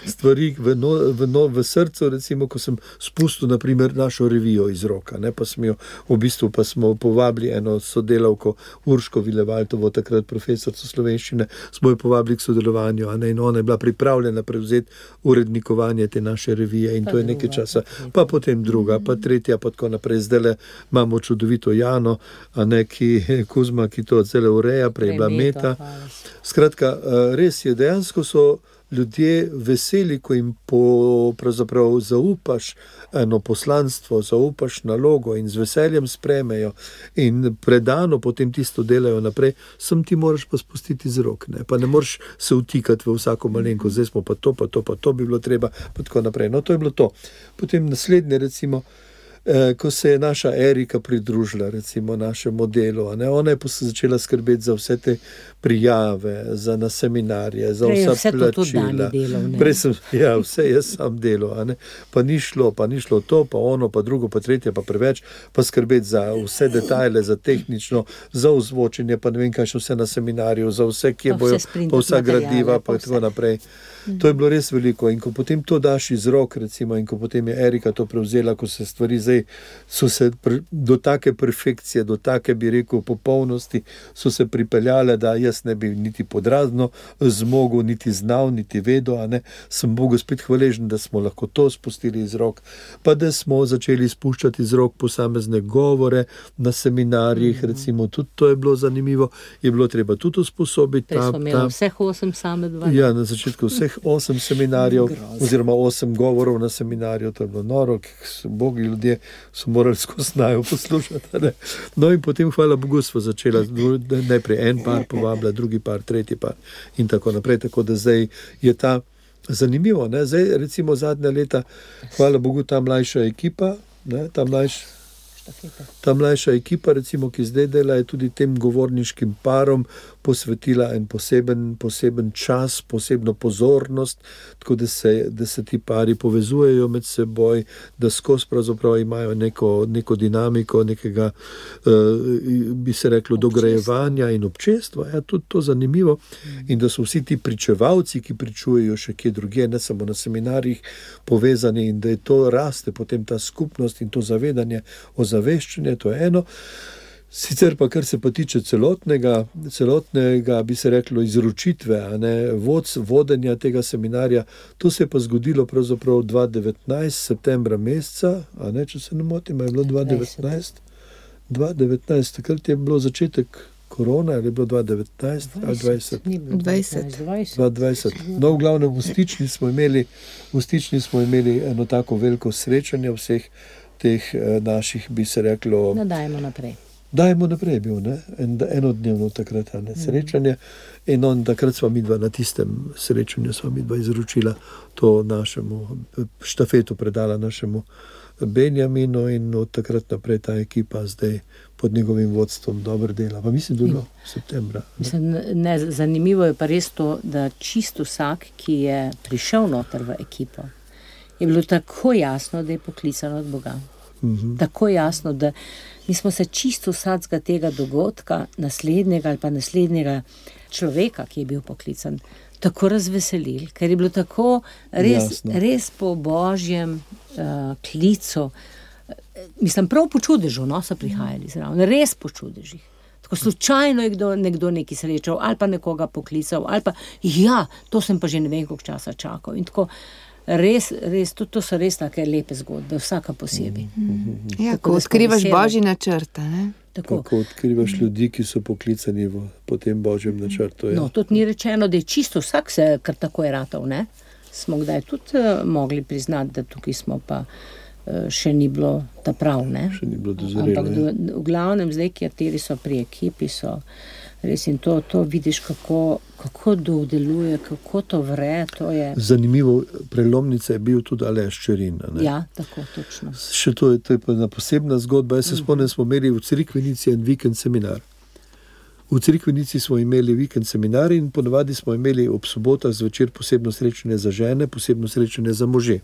stvari v srcu, recimo, ko sem spustil, naprimer, našo revijo iz roka, pa sem jo, v bistvu pa smo povabili eno sodelavko, Urško Vilevaltovo, takrat profesorico slovenščine, smo jo povabili k sodelovanju, in ona je bila pripravljena prevzeti urednikovanje te naše revije in to je nekaj časa, pa potem druga, pa tretja, pa tako naprej. Zdaj imamo čudovito Jano, Kuzma, ki to cele ureja, prej je bila Meta. Skratka, res je, dejansko so ljudje veseli, ko jim pravzaprav zaupaš eno poslanstvo, zaupaš nalogo in z veseljem spremejo in predano potem tisto delajo naprej, sem ti moraš pa spustiti z rok, ne? Pa ne moraš se vtikati v vsako malenko, zdaj smo pa to bi bilo treba, pa tako naprej. No, to je bilo to. Potem naslednje, recimo, ko se je naša Erika pridružila, recimo, našemu delu, ona je začela skrbeti za vse te prijave, na seminarje, za vsa plačila. Prej sem, vse jaz sam delal, pa ni šlo to, pa ono, pa drugo, pa tretje, pa preveč, pa skrbeti za vse detajle, za tehnično, za ozvočenje, pa ne vem kaj še vse na seminarju, za vse, kje bojo, pa vsa gradiva, pa tako naprej. To je bilo res veliko in ko potem to daš iz rok, recimo, in ko potem je Erika to prevzela, ko se stvari so se do take perfekcije, do take, bi rekel, popolnosti, so se pripeljale, da jaz ne bi niti podrazno zmogel, niti znal, niti vedel, sem Bogu spet hvaležen, da smo lahko to spustili iz rok, pa da smo začeli spuščati iz rok posamezne govore na seminarjih, recimo, tudi to je bilo zanimivo, je bilo treba tudi usposobiti. Prej smo imeli vseh 8 same 2. Ja, na začetku vseh 8 seminarjev, oziroma 8 govorov na seminarju, to je bilo noro, bogi ljudje so morali skozi naju poslušati. Ne? No in potem, hvala Bogu, smo začela najprej en par povabila, drugi par, tretji par in tako naprej, tako da zdaj je ta zanimivo. Ne? Zdaj, recimo, zadnja leta, hvala Bogu, ta mlajša ekipa, ne? Ta mlajša ekipa, recimo, ki zdaj dela, je tudi tem govorniškim parom posvetila en poseben čas, posebno pozornost, tako da se ti pari povezujejo med seboj, da skozi pravzaprav imajo neko dinamiko, nekega, bi se reklo, dograjevanja in občestva. Ja, tudi to zanimivo. In da so vsi ti pričevalci, ki pričujejo še kje drugje, ne samo na seminarjih, povezani in da je to raste, potem ta skupnost in to zavedanje, ozaveščanje, to je eno. Sicer pa, kar se pa tiče celotnega, bi se reklo, izročitve, vodenja tega seminarja, to se je pa zgodilo pravzaprav 2019, septembra meseca, če se ne motim, je bilo 2019, takrat je bilo začetek korona, ali je bilo 2019 ali 2020? 2020. No, v glavnem, v Stični smo imeli eno tako veliko srečanje vseh teh naših, bi se reklo... Dajmo naprej je bil, enodnevno takrat srečanje in takrat sva midva na tistem srečanju izročila to našemu štafetu, predala našemu Benjaminu in od takrat naprej ta ekipa zdaj pod njegovim vodstvom dobro dela. Pa mislim, da je bilo septembra. Zanimivo je pa res to, da čisto vsak, ki je prišel noter v ekipo, je bilo tako jasno, da je poklican od Boga. Tako jasno, da mi smo se čisto vsakega tega dogodka, naslednjega človeka, ki je bil poklican, tako razveselili, ker je bilo tako res po Božjem klicu. Mislim, prav po čudežu, so prihajali zraven, res po čudežih. Tako slučajno je nekdo nekaj srečal, ali pa nekoga poklical, ali pa, to sem pa že ne vem, koliko časa čakal. In tako, res, to so res take lepe zgodbe, vsaka posebej. Ja, ko odkrivaš Božji načrt, ne? Ko odkrivaš ljudi, ki so poklicani po tem Božjem načrtu. Ja. No, tudi ni rečeno, da je čisto vsak se kar tako je ratal, ne? Smo kdaj tudi mogli priznati, da tukaj smo pa še ni bilo ta prav, ne? Še ni bilo dozorelo. Ampak v glavnem zdaj, kateri so pri ekipi, so Res in to vidiš, kako duh deluje, kako to vre, to je... Zanimivo, prelomnica je bil tudi Aleš Čerin. Ja, tako, točno. Še to je pa ena posebna zgodba. Jaz se spomnim, smo imeli v Crikvenici en vikend seminar. V Crikvenici smo imeli vikend seminar in ponavadi smo imeli ob sobotah zvečer posebno srečanje za žene, posebno srečanje za može.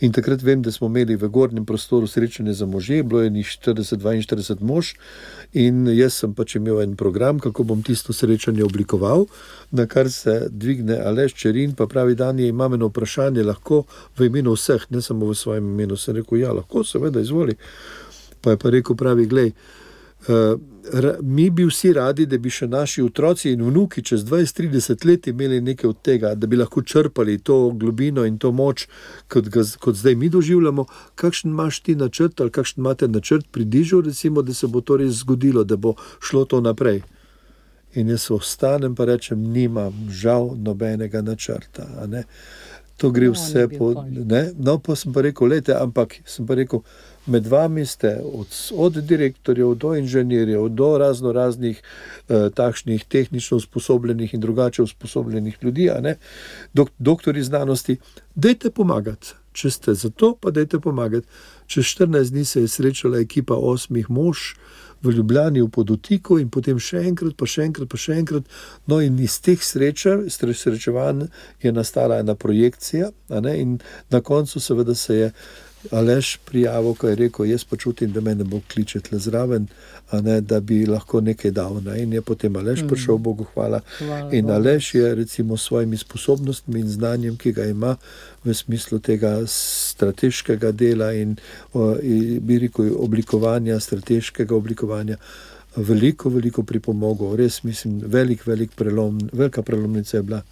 In takrat vem, da smo imeli v gornjem prostoru srečanje za može, bilo je 40-42 mož in jaz sem pač imel en program, kako bom tisto srečanje oblikoval, na kar se dvigne Aleš Čerin, pa pravi, Dani, imam eno vprašanje, lahko v imenu vseh, ne samo v svojem imenu. Sem rekel, ja, lahko, seveda, izvoli. Pa je pa rekel, pravi, glej, mi bi vsi radi, da bi še naši otroci in vnuki čez 20-30 let imeli nekaj od tega, da bi lahko črpali to globino in to moč, kot zdaj mi doživljamo. Kakšen imaš ti načrt ali kakšen imate načrt pri Dižu, recimo, da se bo to res zgodilo, da bo šlo to naprej? In jaz ostanem pa rečem, nimam žal nobenega načrta. A ne? To gre vse po... Ne? No, pa sem pa rekel, lejte, ampak sem pa rekel, med vami ste od direktorjev do inženirjev, do raznih takšnih tehnično usposobljenih in drugače usposobljenih ljudi, a ne, doktori znanosti, dajte pomagati. Če ste za to, pa dajte pomagati. Čez 14 dni se je srečala ekipa 8 mož v Ljubljani v Podutiku in potem še enkrat. No in iz teh srečevanj je nastala ena projekcija, a ne, in na koncu seveda se je Aleš prijavil, ko je rekel, jaz pa čutim, da me ne bo kličet le zraven, a ne, da bi lahko nekaj dal. Ne? In je potem Aleš prišel, Bogu hvala. In Aleš je recimo s svojimi sposobnostmi in znanjem, ki ga ima v smislu tega strateškega dela in bi rekel oblikovanja, strateškega oblikovanja, veliko pripomogel. Res mislim, velika prelomnica je bila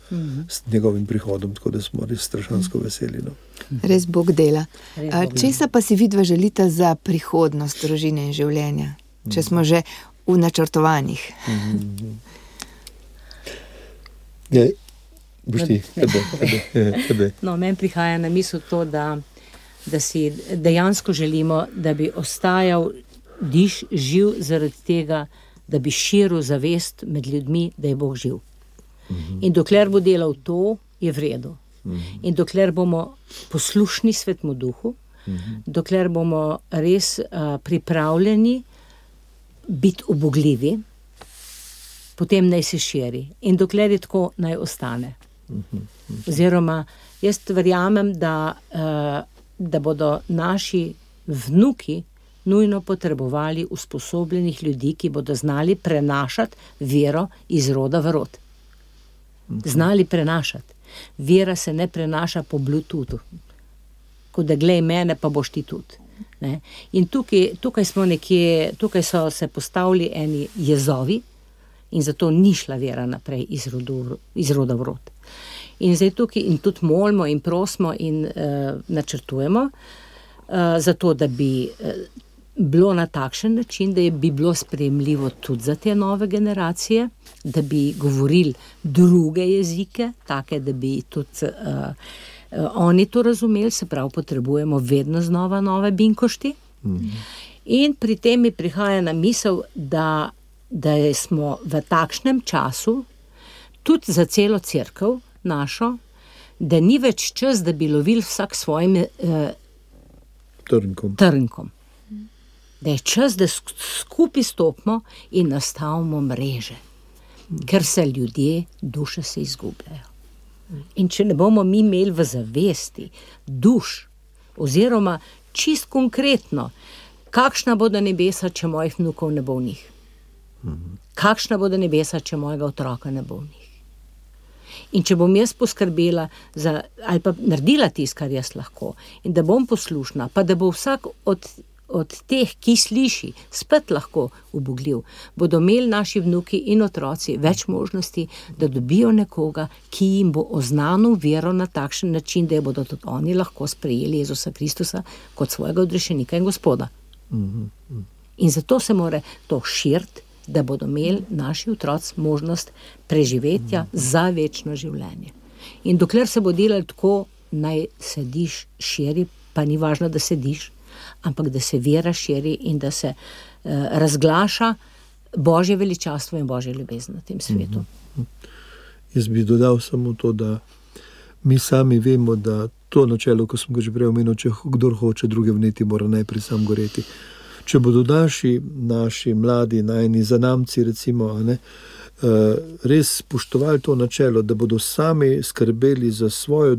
s njegovim prihodom, tako da smo res strašansko veseli. No. Res Bog dela. Česa pa si vidva želita za prihodnost družine in življenja, če smo že v načrtovanjih? No, meni prihaja na misel to, da si dejansko želimo, da bi ostajal Diž živ zaradi tega, da bi širil zavest med ljudmi, da je Bog živ. In dokler bo delal to, je v redu. In dokler bomo poslušni Svetemu Duhu, dokler bomo res pripravljeni biti ubogljivi, potem naj se širi. In dokler je tako, naj ostane. Oziroma, jaz verjamem, da bodo naši vnuki nujno potrebovali usposobljenih ljudi, ki bodo znali prenašati vero iz roda v rod. Znali prenašati. Vera se ne prenaša po Bluetoothu. Ko da glej mene, pa boš ti tudi. Ne? In tukaj so se postavili eni jezovi in zato ni šla vera naprej iz roda v rod. In zdaj tukaj in tudi molimo in prosimo in načrtujemo, zato da bi bilo na takšen način, da bi bilo sprejemljivo tudi za te nove generacije, da bi govorili druge jezike, take, da bi tudi oni to razumeli, se pravi, potrebujemo vedno znova nove binkošti. In pri tem mi prihaja na misel, da smo v takšnem času, tudi za celo cerkev našo, da ni več čas, da bi lovili vsak svojim trnkom. Da je čas, da skupaj stopimo in nastavimo mreže, ker se ljudje, duše se izgubljajo. In če ne bomo mi imeli v zavesti duš, oziroma čist konkretno, kakšna bodo nebesa, če mojih vnukov ne bo v njih? Kakšna bodo nebesa, če mojega otroka ne bo v njih? In če bom jaz poskrbela ali pa naredila tisto, kar jaz lahko, in da bom poslušna, pa da bo vsak od teh, ki sliši, spet lahko ubogljiv, bodo imeli naši vnuki in otroci več možnosti, da dobijo nekoga, ki jim bo oznanil vero na takšen način, da jo bodo tudi oni lahko sprejeli Jezusa Kristusa kot svojega odrešenika in Gospoda. In zato se mora to širiti, da bodo imeli naši otroci možnost preživetja za večno življenje. In dokler se bo delalo tako, naj sediš širi, pa ni važno, da sediš, ampak da se vera širi in da se razglaša Božje veličastvo in Božje ljubezen na tem svetu. Jaz bi dodal samo to, da mi sami vemo, da to načelo, ko sem ga že prej omenil, če kdor hoče druge vneti, mora najprej sam goreti. Če bodo naši mladi, najni zanamci, recimo, res spoštovali to načelo, da bodo sami skrbeli za svojo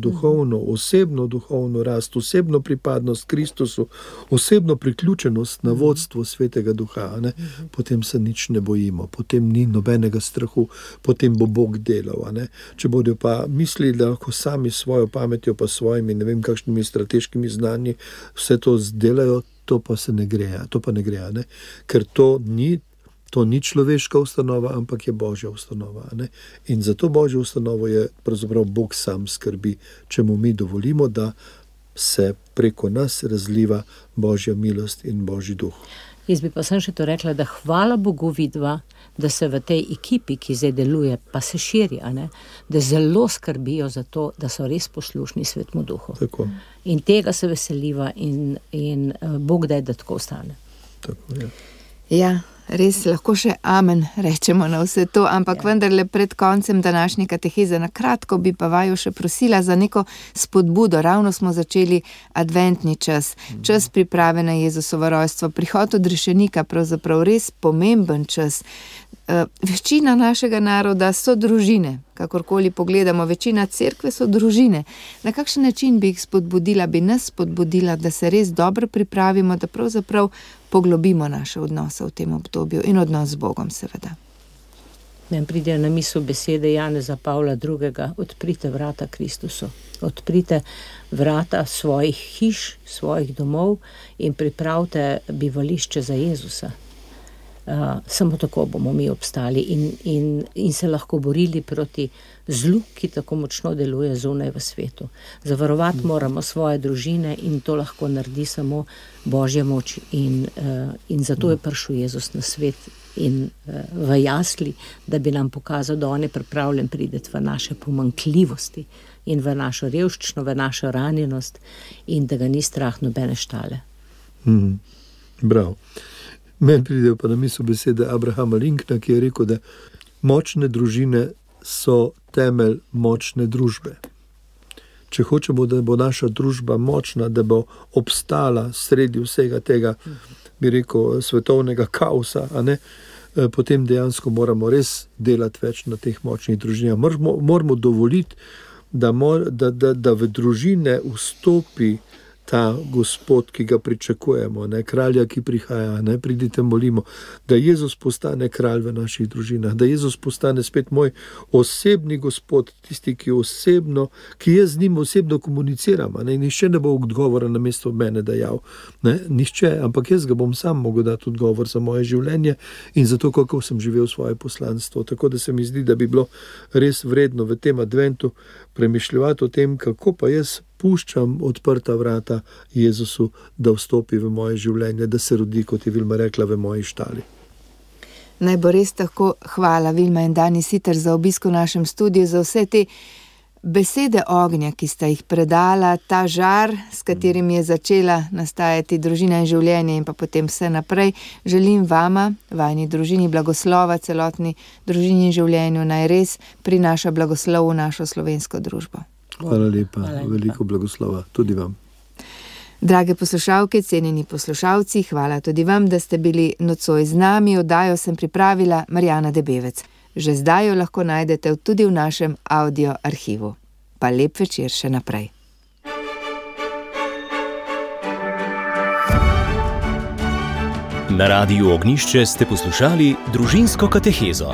osebno duhovno rast, osebno pripadnost Kristusu, osebno priključenost na vodstvo Svetega Duha, potem se nič ne bojimo, potem ni nobenega strahu, potem bo Bog delal. Če bodo pa mislili, da lahko sami svojo pametjo, pa svojimi, ne vem kakšnimi strateškimi znanji vse to zdelajo, to pa ne gre, ker to ni človeška ustanova, ampak je Božja ustanova. In za to Božjo ustanovo je pravzaprav Bog sam skrbi, če mu mi dovolimo, da se preko nas razliva Božja milost in Božji duh. Jaz bi pa sem še to rekla, da hvala Bogu vidva, da se v tej ekipi, ki zdaj deluje, pa se širi, da zelo skrbijo za to, da so res poslušni Svetemu Duhu. Tako. In tega se veseliva in Bog daj, da tako ostane. Tako, ja. Ja, res lahko še amen rečemo na vse to, ampak vendarle pred koncem današnje kateheze na kratko bi pa vaju še prosila za neko spodbudo. Ravno smo začeli adventni čas, čas priprave na Jezusovo rojstvo, prihod odrešenika, pravzaprav res pomemben čas. Večina našega naroda so družine, kakorkoli pogledamo, večina cerkve so družine. Na kakšen način bi jih spodbudila, bi nas spodbudila, da se res dobro pripravimo, da pravzaprav poglobimo naše odnose v tem obdobju in odnos z Bogom, seveda. Meni pridejo na misel besede Janeza Pavla II. Odprite vrata Kristusu. Odprite vrata svojih hiš, svojih domov in pripravite bivališče za Jezusa. Samo tako bomo mi obstali in se lahko borili proti zlu, ki tako močno deluje zunaj v svetu. Zavarovati moramo svoje družine in to lahko naredi samo Božja moč in zato je prišel Jezus na svet in v jasli, da bi nam pokazal, da on je pripravljen priti v naše pomanjkljivosti in v našo revščino, v našo ranjenost in da ga ni strah nobene štale. Bravo. Meni pridejo pa na misel besede Abrahama Lincolna, ki je rekel, da močne družine so temelj močne družbe. Če hočemo, da bo naša družba močna, da bo obstala sredi vsega tega, bi rekel, svetovnega kaosa, potem dejansko moramo res delati več na teh močnih družinah. Moramo dovoliti, da v družine vstopi ta Gospod, ki ga pričakujemo, kralja, ki prihaja, pridite, molimo, da Jezus postane kralj v naših družinah, da Jezus postane spet moj osebni Gospod, tisti, ki jaz z njim osebno komuniciram, nihče ne bo odgovora namesto mene dajal, nihče, ampak jaz ga bom sam mogel dati odgovor za moje življenje in za to, kako sem živel svoje poslanstvo. Tako da se mi zdi, da bi bilo res vredno v tem adventu premišljati o tem, kako pa jaz puščam odprta vrata Jezusu, da vstopi v moje življenje, da se rodi, kot je Vilma rekla, v moji štali. Naj bo res tako. Hvala Vilma in Dani Siter za obisk v našem studiu, za vse te besede ognja, ki sta jih predala, ta žar, s katerim je začela nastajati družina in življenje in pa potem vse naprej. Želim vama, vajni družini, blagoslova, celotni družini in življenju, naj res prinaša blagoslov v našo slovensko družbo. Hvala lepa, veliko blagoslova tudi vam. Drage poslušalke, cenjeni poslušalci, hvala tudi vam, da ste bili nocoj z nami. Oddajo sem pripravila Marjana Debevec. Že zdaj jo lahko najdete tudi v našem audio arhivu. Pa lep večer še naprej. Na Radiu Ognjišče ste poslušali družinsko katehezo.